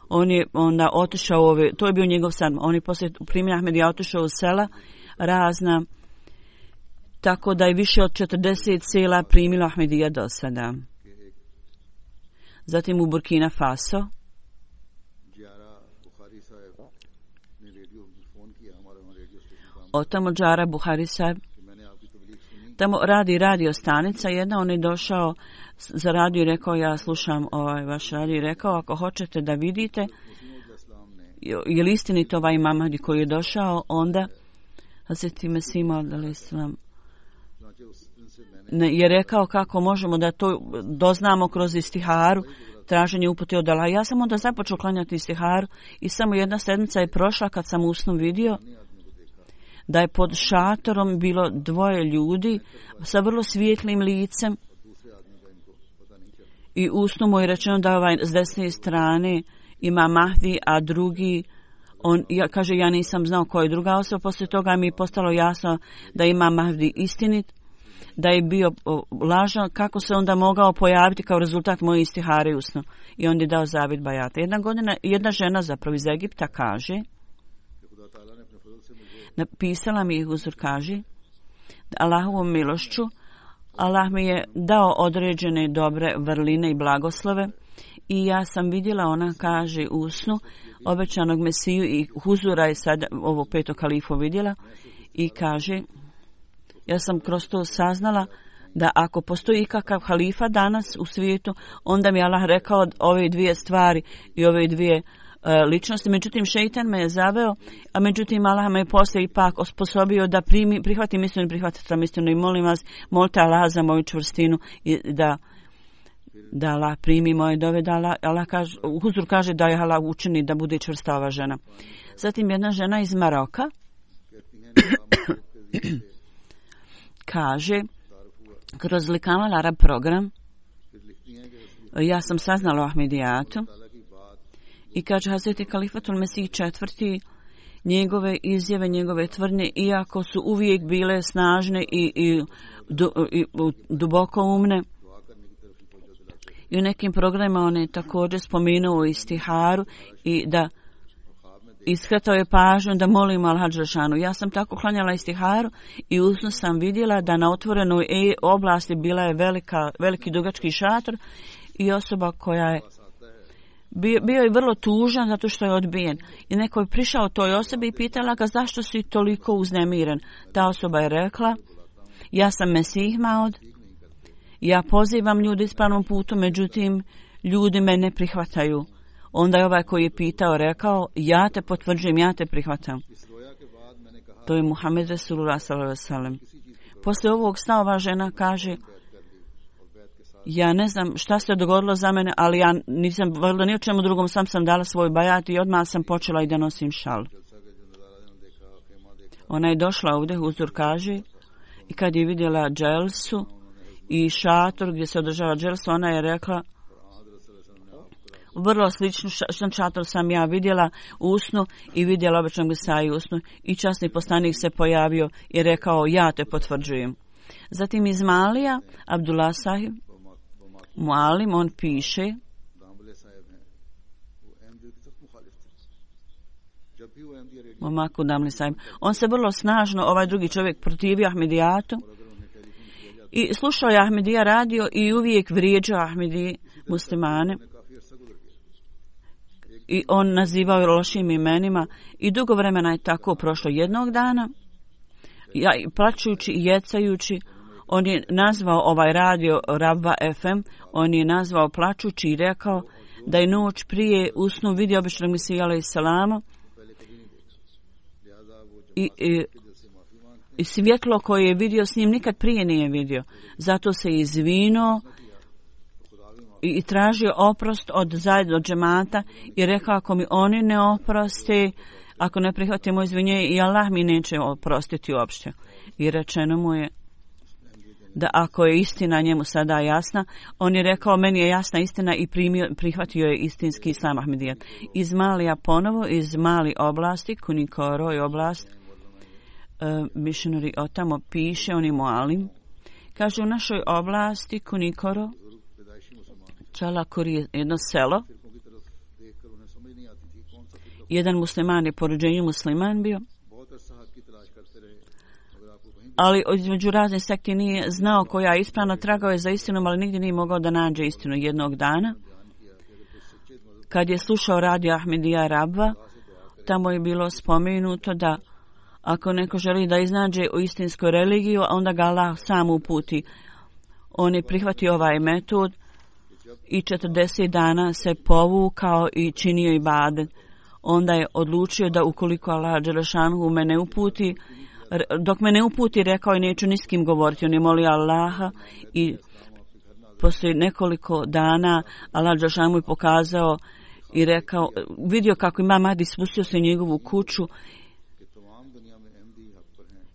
on je onda otišao to je bio njegov san. On je poslije primanja Ahmedija otišao u sela razna, tako da je više od 40 sela primilo Ahmedija do sada. Zatim u Burkina Faso otamo Džara Buhari Sahib, tamo radi radio stanica jedna, on je došao za radio i rekao, ja slušam vaš radio, i rekao, ako hoćete da vidite je li istinito ovaj Mahdi koji je došao, onda Hazreti Mesih Maud a.s. je rekao kako možemo da to doznamo kroz istiharu, traženje upute od Allaha. Ja sam onda započeo klanjati istiharu i samo jedna sedmica je prošla kad sam u snu vidio da je pod šatorom bilo dvoje ljudi sa vrlo svijetlim licem i u snu mu je rečeno da ovaj s desne strane ima Mahdi, a drugi kaže, ja nisam znao koja je druga osoba. Poslije toga mi je postalo jasno da ima Mahdi istinit, da je bio lažan, kako se onda mogao pojaviti kao rezultat moje istihare usno. I on je dao zavjet bajata. Jedna žena zapravo iz Egipta kaže, napisala mi je Huzur, kaže, Allahovom milošću Allah mi je dao određene dobre vrline i blagoslove i ja sam vidjela, ona kaže u snu, obećanog Mesiju i Huzura je sad ovo peto kalifu vidjela i kaže, ja sam kroz to saznala da ako postoji ikakav halifa danas u svijetu, onda mi Allah rekao ove dvije stvari i ove dvije ličnosti. Međutim, šeitan me je zaveo, a međutim Allah me je poslije ipak osposobio da prihvatim istinu i prihvatim istinu i molim vas, molite Allah za moju čvrstinu i da Allah primi moje dove, da Allah kaže, Huzur kaže da je Allah učini da bude čvrsta ova žena. Zatim jedna žena iz Maroka kaže, kroz Likamal Arab program ja sam saznala o Ahmedijatu i kaže Hazreti Kalifatul Mesih IV, njegove izjave, njegove tvrdnje, iako su uvijek bile snažne i duboko umne, i u nekim programima on je također spomenuo istiharu i da iskretao je pažnju da molim Allaha dželešanu. Ja sam tako klanjala istiharu i u snu sam vidjela da na otvorenoj oblasti bila je veliki dugački šator i osoba koja je bio je vrlo tužan zato što je odbijen. I neko je prišao toj osobi i pitala ga zašto si toliko uznemiren. Ta osoba je rekla, ja sam Mesih Maud, ja pozivam ljudi ispravnom putu, međutim ljudi me ne prihvataju. Onda je ovaj koji je pitao rekao, ja te potvrđujem, ja te prihvatam. To je Muhammed Rasulullah sallallahu alejhi ve sellem. Poslije ovog sna ova žena kaže, ja ne znam šta se dogodilo za mene, ali ja nisam vrlo ni o čemu drugom, sam dala svoj bajat i odmah sam počela i da nosim šal. Ona je došla ovdje, Huzur kaže, i kad je vidjela dželsu i šator gdje se održava dželsa, ona je rekla, vrlo sličnu šator sam ja vidjela u snu i vidjela običnog Mesaju u snu i časni poslanik se pojavio i rekao, ja te potvrđujem. Zatim iz Malija, Abdullah Sahib Mualim, on piše, on se vrlo snažno, ovaj drugi čovjek, protivio Ahmedijatu i slušao je Ahmedija radio i uvijek vrijeđao Ahmedije muslimane i on nazivao je lošim imenima i dugo vremena je tako prošlo. Jednog dana, plačujući i jecajući, on je nazvao ovaj radio Rabba FM, on je nazvao plačući i rekao da je noć prije u snu vidio običnog Mesija alejselama i svjetlo koje je vidio s njim nikad prije nije vidio. Zato se izvinuo i tražio oprost od zajedno džemata i rekao, ako mi oni ne oproste, ako ne prihvatimo izvinjenje, i Allah mi neće oprostiti uopšte. I rečeno mu je da ako je istina njemu sada jasna, on je rekao, meni je jasna istina i prihvatio je istinski islam Ahmedijat. Iz Malija ponovo, iz Mali oblasti, Kunikoro je oblast, missionary otamo piše, on je Mualim, kaže u našoj oblasti Kunikoro, Čalakuri je jedno selo, jedan musliman je po rođenju musliman bio, ali između razne sekte nije znao koja je ispravna, tragao je za istinom, ali nigdje nije mogao da nađe istinu. Jednog dana, kad je slušao radio Ahmedija Rabba, tamo je bilo spomenuto da ako neko želi da iznađe u istinsku religiju, onda ga Allah sam uputi. On je prihvatio ovaj metod i 40 dana se povukao i činio ibadet. Onda je odlučio da ukoliko Allah dželešanu me ne uputi, dok me ne uputi, rekao je, neću ni s kim govoriti. On je molio Allaha i poslije nekoliko dana Allah dželešanu mu je pokazao i rekao, vidio kako Imam Mahdi spustio se u njegovu kuću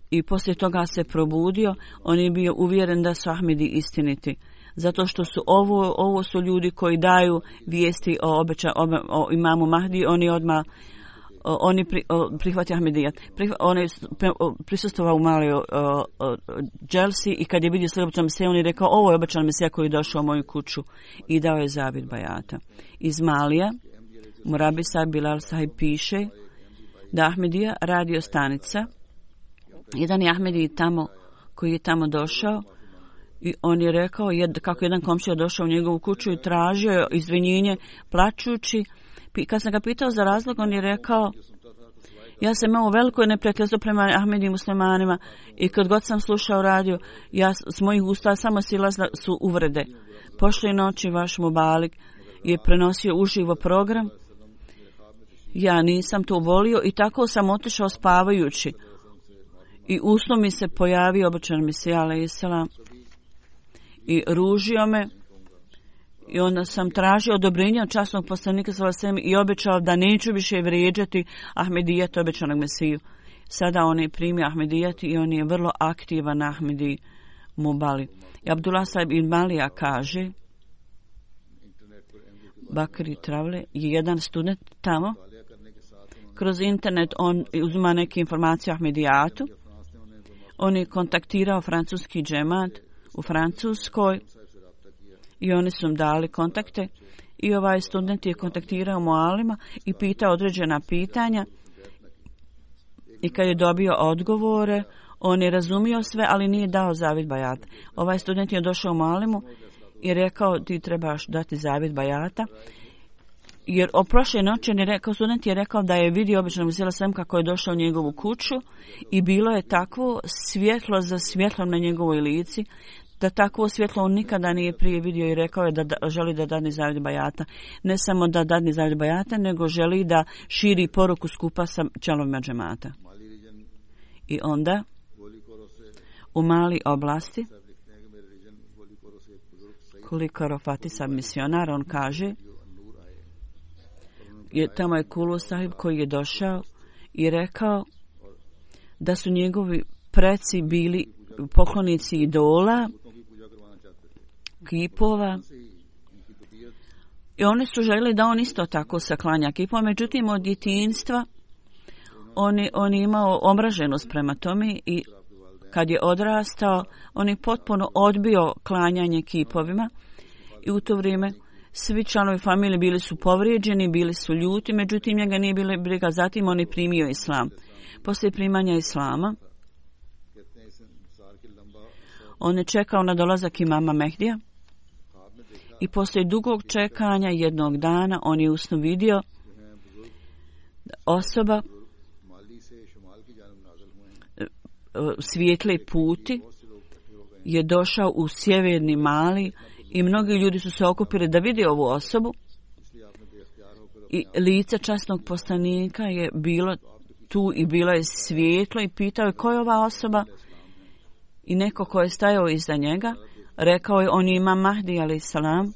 i poslije toga se probudio. On je bio uvjeren da su Ahmedi istiniti. Zato što su ovo su ljudi koji daju vijesti o Imamu Mahdi, oni odmah prihvatio Ahmedijat. On je prisustvovao u maloj dželsi i kad je vidio sljedećeg Mesija, on je rekao, ovo je obećan Mesija koji je došao u moju kuću i dao je zavjet bajata. Iz Malija, Murabi Sahib Bilal Sahib piše da Ahmedija radio stanica. Jedan je Ahmedi tamo, koji je tamo došao i on je rekao kako jedan komšija došao u njegovu kuću i tražio izvinjenje plačući. Kad sam ga pitao za razlog, on je rekao, ja sam imao veliko neprijateljstvo prema Ahmedi muslimanima i kad god sam slušao radio, s mojih usta samo silazile su uvrede. Prošle noći vaš Mubalik je prenosio uživo program. Ja nisam to volio i tako sam otišao spavajući. I u snu mi se pojavio obećan Mesija alejselam i ružio me. I onda sam tražio odobrenje od časnog poslanika sallallahu i obećao da neću više vrijeđati Ahmedijat, obećanog Mesiju. Sada on je primio Ahmedijat i on je vrlo aktivan na Ahmedi Mubali. I Abdullah Sahib ibn Malija kaže, Bakri Travle je jedan student tamo. Kroz internet on uzima neke informacije o Ahmedijatu. On je kontaktirao francuski džemat u Francuskoj i oni su im dali kontakte i ovaj student je kontaktirao Mualima i pitao određena pitanja I kad je dobio odgovore, on je razumio sve, ali nije dao zavjet bajata. Ovaj student je došao u Malimu i rekao ti trebaš dati zavjet bajata. Jer o prošle noći student je rekao da je vidio obično Mesija Selem kako je došao u njegovu kuću i bilo je takvo svjetlo za svjetlom na njegovoj lici, da takvo svjetlo on nikada nije prije vidio i rekao je da želi da dadne zavjet bajata. Ne samo da dadne zavjet bajata, nego želi da širi poruku skupa sa članovima džemata. I onda u Mali oblasti, koliko Rofati sam misionar, on kaže, tamo je Kulu Sahib koji je došao i rekao da su njegovi preci bili poklonici idola, kipova, i oni su željeli da on isto tako se klanja kipova. Međutim, od djetinjstva on je imao omraženost prema tome i kad je odrastao, on je potpuno odbio klanjanje kipovima i u to vrijeme svi članovi familije bili su povrijeđeni, bili su ljuti, međutim njega nije bilo briga. Zatim on je primio islam. Poslije primanja islama, on je čekao na dolazak imama Mehdija i poslije dugog čekanja jednog dana on je usnu vidio osoba svijetle puti je došao u sjeverni Mali i mnogi ljudi su se okupili da vidi ovu osobu i lice časnog poslanika je bilo tu i bilo je svijetlo i pitao je ko je ova osoba i neko ko je stajao iza njega rekao je on je imam Mahdi alejhi salam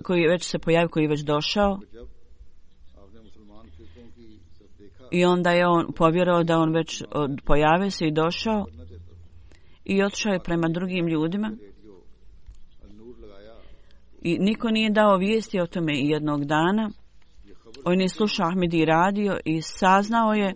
koji već se pojavio, koji je već došao. I onda je on povjerovao da on već pojavio se i došao i otišao je prema drugim ljudima i niko nije dao vijesti o tome. I jednog dana on je slušao Ahmedi radio i saznao je,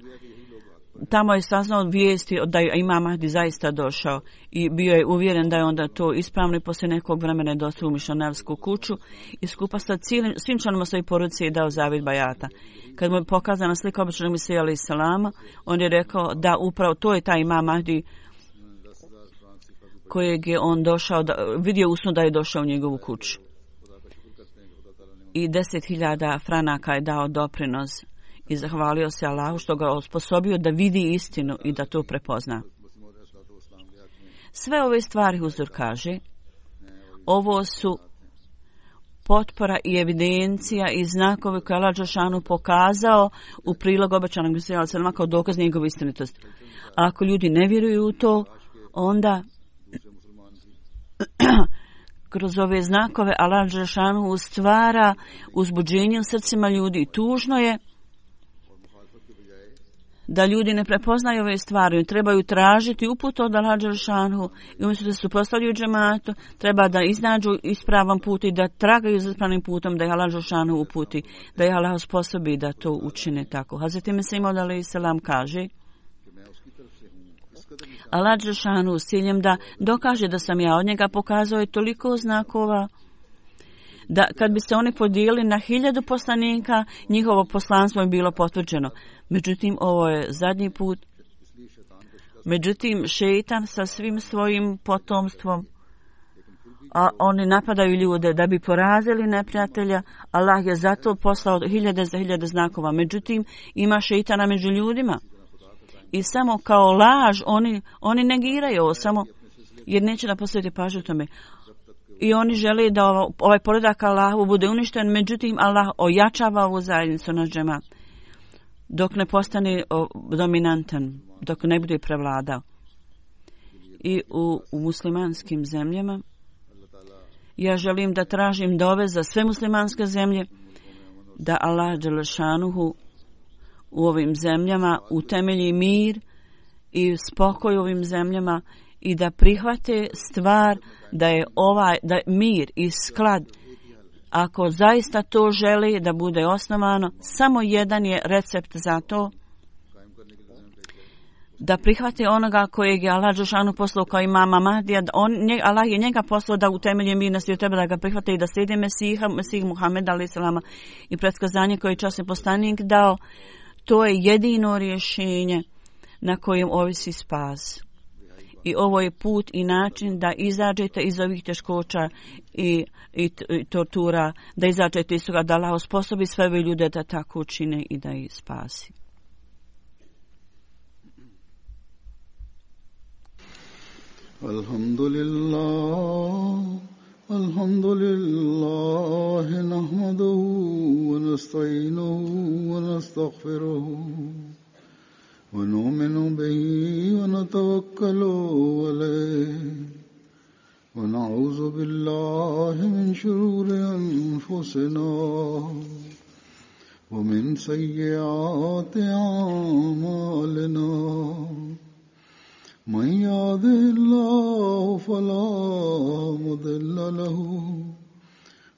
tamo je saznao vijesti da je imam Mahdi zaista došao i bio je uvjeren da je onda to ispravno i poslije nekog vremena je došao u mišonarsku kuću i skupa sa svim članovima svoje porodice je dao zavjet bajata. Kad mu je pokazana slika običnog Mesija alejhi selama, on je rekao da upravo to je taj imam Mahdi kojeg je on došao, vidio usno da je došao u njegovu kuću. I 10.000 franaka je dao doprinos i zahvalio se Allahu što ga osposobio da vidi istinu i da to prepozna. Sve ove stvari Huzur kaže, ovo su potpora i evidencija i znakovi koje Allah dželešanu pokazao u prilog obećanog Mesija alejhi selama kao dokaz njegove istinitosti. A ako ljudi ne vjeruju u to, onda kroz ove znakove Allah dželešanu stvara uzbuđenje u srcima ljudi. Tužno je da ljudi ne prepoznaju ove stvari, trebaju tražiti uput od Allah dželešanu i umjesto da se suprotstavljaju džematu, treba da iznađu ispravan put i da tragaju za ispravnim putom, da ih Allah dželešanu uputi, da ih Allah sposobi da to učine tako. Hazreti Mesih Maud alejhi selam kaže, Allah dželešanu s ciljem da dokaže da sam ja od njega pokazao je toliko znakova da kad bi se oni podijelili na 1000 poslanika, njihovo poslanstvo je bilo potvrđeno. Međutim, ovo je zadnji put. Međutim, šeitan sa svim svojim potomstvom, a oni napadaju ljude da bi porazili neprijatelja. Allah je zato poslao 1000 za 1000 znakova. Međutim, ima šeitana među ljudima. I samo kao laž oni negiraju ovo samo jer neće da posvete pažnju tome. I oni žele da ovaj poredak Allahu bude uništen, međutim Allah ojačava ovu zajednicu na džemat dok ne postane dominantan, dok ne bude prevladao. I u muslimanskim zemljama ja želim da tražim dove za sve muslimanske zemlje da Allah dželešanuhu u ovim zemljama utemelji mir i spokoj u ovim zemljama i da prihvate stvar da je da mir i sklad, ako zaista to želi da bude osnovano, samo jedan je recept za to, da prihvate onoga kojeg je Allah dželešanu poslao kao imama Mahdija. Allah je njega poslao da utemelji mir na svijetu, treba da ga prihvate i da slijede Mesih Muhameda alejhi selama i predskazanje koje je časni poslanik dao. To je jedino rješenje na kojem ovisi spas. I ovo je put i način da izađete iz ovih teškoća i tortura, da izađete iz toga, da Allah osposobi sve ove ljude da tako učine i da ih spasi. Alhamdulillah, nahmaduhu wa nasta'inuhu wa nastaghfiruhu. ونؤمن به ونتوكل عليه ونعوذ بالله من شرور أنفسنا ومن سيئات أعمالنا من يهده الله فلا مضل له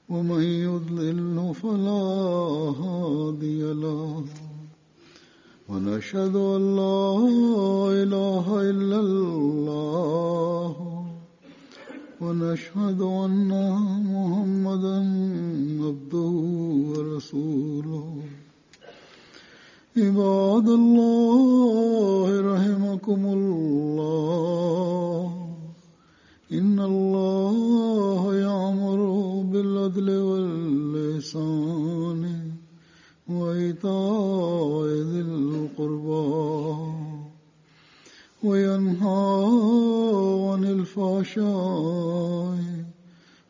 ومن يضلل فلا هادي له ونشهد أن لا إله إلا الله ونشهد أن محمدا عبده ورسوله عباد الله رحمكم الله إن الله يأمر بالعدل والإحسان وإيتاء ذي القربى وينهى عن الفحشاء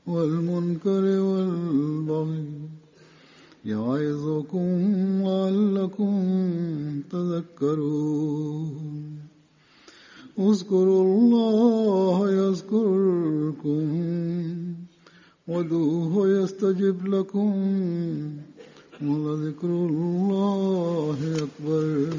والمنكر والبغي يعظكم لعلكم تذكرون اذكروا الله يذكركم وادعوه يستجب لكم ولذكر الله أكبر